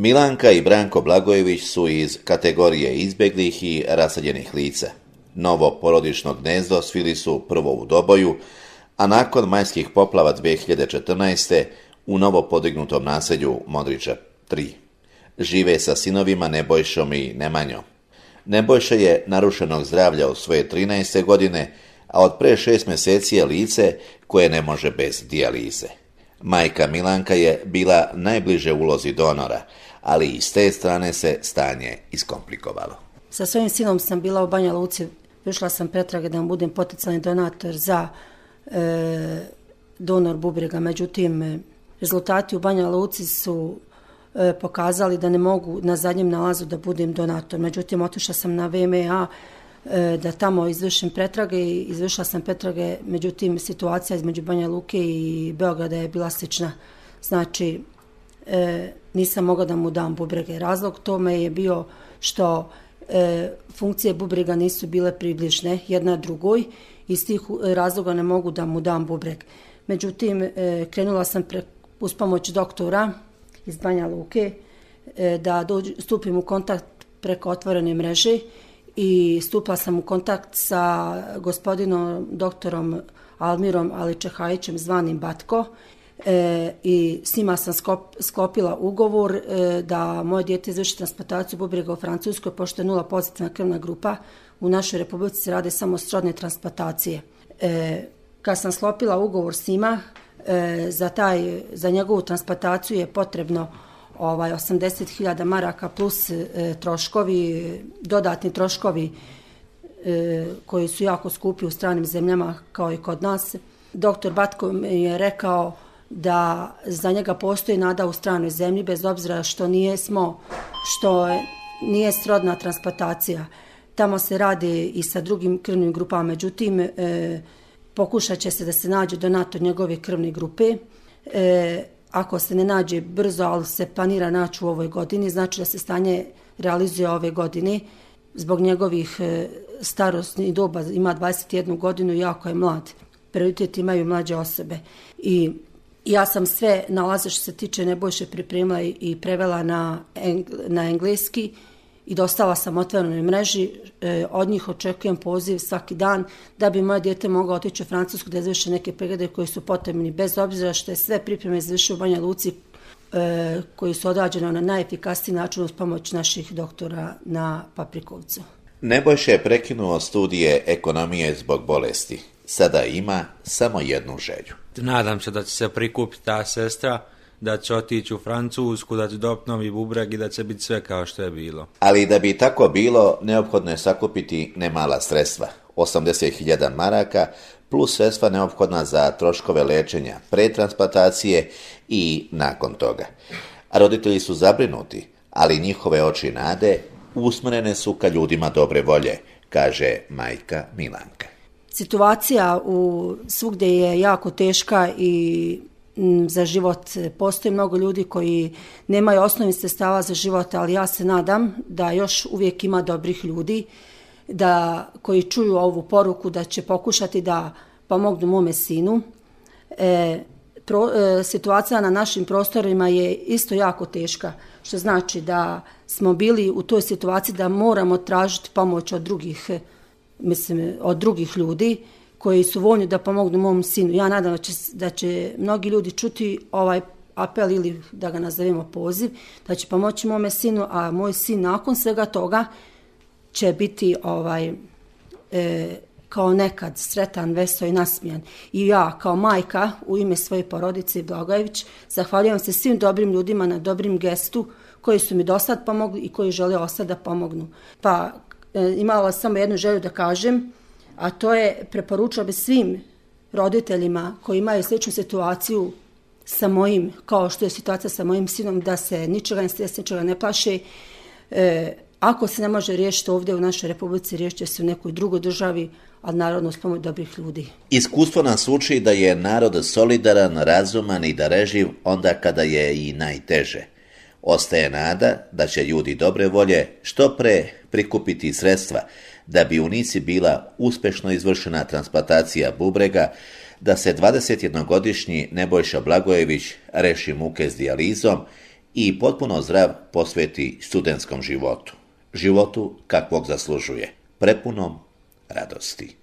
Milanka i Branko Blagojević su iz kategorije izbjeglih i raseljenih lica. Novo porodično gnezdo svili su prvo u Doboju, a nakon majskih poplava 2014. u novo podignutom naselju Modriča 3. Žive sa sinovima Nebojšom i Nemanjom. Nebojša je narušenog zdravlja od svoje 13. godine, a od pre 6 mjeseci je lice koje ne može bez dijalize. Majka Milanka je bila najbliže ulozi donora, ali i s te strane se stanje iskomplikovalo. Sa svojim sinom sam bila u Banja Luci, išla sam pretrage da budem potencijalni donator za donor bubrega, međutim rezultati u Banja Luci su pokazali da ne mogu na zadnjem nalazu da budem donator. Međutim, otišla sam na VMA da tamo izvršim pretrage i izvršila sam pretrage, međutim situacija između Banja Luke i Beograda je bila slična. Znači, nisam mogla da mu dam bubrege. Razlog tome je bio što funkcije bubrega nisu bile približne jedna drugoj, iz tih razloga ne mogu da mu dam bubreg. Međutim, krenula sam uz pomoć doktora iz Banja Luke da stupim u kontakt preko otvorene mreže i stupila sam u kontakt sa gospodinom doktorom Almirom Aličehajićem zvanim Batko i s njima sam sklopila ugovor da moje dijete izvrši transplantaciju bubrega u Francuskoj, pošto je 0 pozitivna krvna grupa. U našoj republici se rade samo srodne transplantacije. Kad sam sklopila ugovor s njima, za njegovu transplantaciju je potrebno 80.000 maraka plus troškovi, dodatni troškovi koji su jako skupi u stranim zemljama kao i kod nas. Doktor Batko mi je rekao da za njega postoji nada u stranoj zemlji, bez obzira što nije srodna transplantacija. Tamo se radi i sa drugim krvnim grupama, međutim pokušat će se da se nađe donator njegove krvne grupe. Ako se ne nađe brzo, ali se planira naći u ovoj godini, znači da se stanje realizuje ove godine. Zbog njegovih starosnih doba, ima 21 godinu i jako je mlad. Prioritet imaju mlađe osobe. I ja sam sve nalaze što se tiče Nebojše pripremila i prevela na engleski i dostala sam otvorenoj mreži. Od njih očekujem poziv svaki dan da bi moje dijete moglo otići u Francusku da izvrše neke preglede koji su potrebni, bez obzira što je sve pripreme izvršio u Banja Luci koji su odrađene na najefikasniji način uz pomoć naših doktora na Paprikovcu. Nebojša je prekinuo studije ekonomije zbog bolesti. Sada ima samo jednu želju. Nadam se da će se prikupiti ta sestra, da će otići u Francusku, da će dobiti novi bubreg i da će biti sve kao što je bilo. Ali da bi tako bilo, neophodno je sakupiti nemala sredstva, 80.000 maraka, plus sredstva neophodna za troškove lečenja, pretransplantacije i nakon toga. A roditelji su zabrinuti, ali njihove oči nade usmjerene su ka ljudima dobre volje, kaže majka Milanka. Situacija svugdje je jako teška i za život. Postoji mnogo ljudi koji nemaju osnovnih sredstava za život, ali ja se nadam da još uvijek ima dobrih ljudi koji čuju ovu poruku da će pokušati da pomognu mome sinu. Situacija na našim prostorima je isto jako teška, što znači da smo bili u toj situaciji da moramo tražiti pomoć od drugih ljudi koji su voljni da pomognu mom sinu. Ja nadam da će mnogi ljudi čuti ovaj apel ili da ga nazovemo poziv, da će pomoći mome sinu, a moj sin nakon svega toga će biti kao nekad sretan, veseo i nasmijan. I ja kao majka u ime svoje porodice Blagojević zahvaljujem se svim dobrim ljudima na dobrim gestu koji su mi do sad pomogli i koji žele ostati da pomognu. Pa imala samo jednu želju da kažem, a to je preporučila bi svim roditeljima koji imaju sličnu situaciju sa mojim, kao što je situacija sa mojim sinom, da se ničega ne strese, ničega ne plaše. Ako se ne može riješiti ovdje u našoj republici, riješit će se u nekoj drugoj državi, ali naravno uz pomoć dobrih ljudi. Iskustvo nas uči da je narod solidaran, razuman i dareživ onda kada je i najteže. Ostaje nada da će ljudi dobre volje što pre prikupiti sredstva da bi u Nici bila uspješno izvršena transplantacija bubrega, da se 21-godišnji Nebojša Blagojević reši muke s dijalizom i potpuno zdrav posveti studentskom životu. Životu kakvog zaslužuje, prepunom radosti.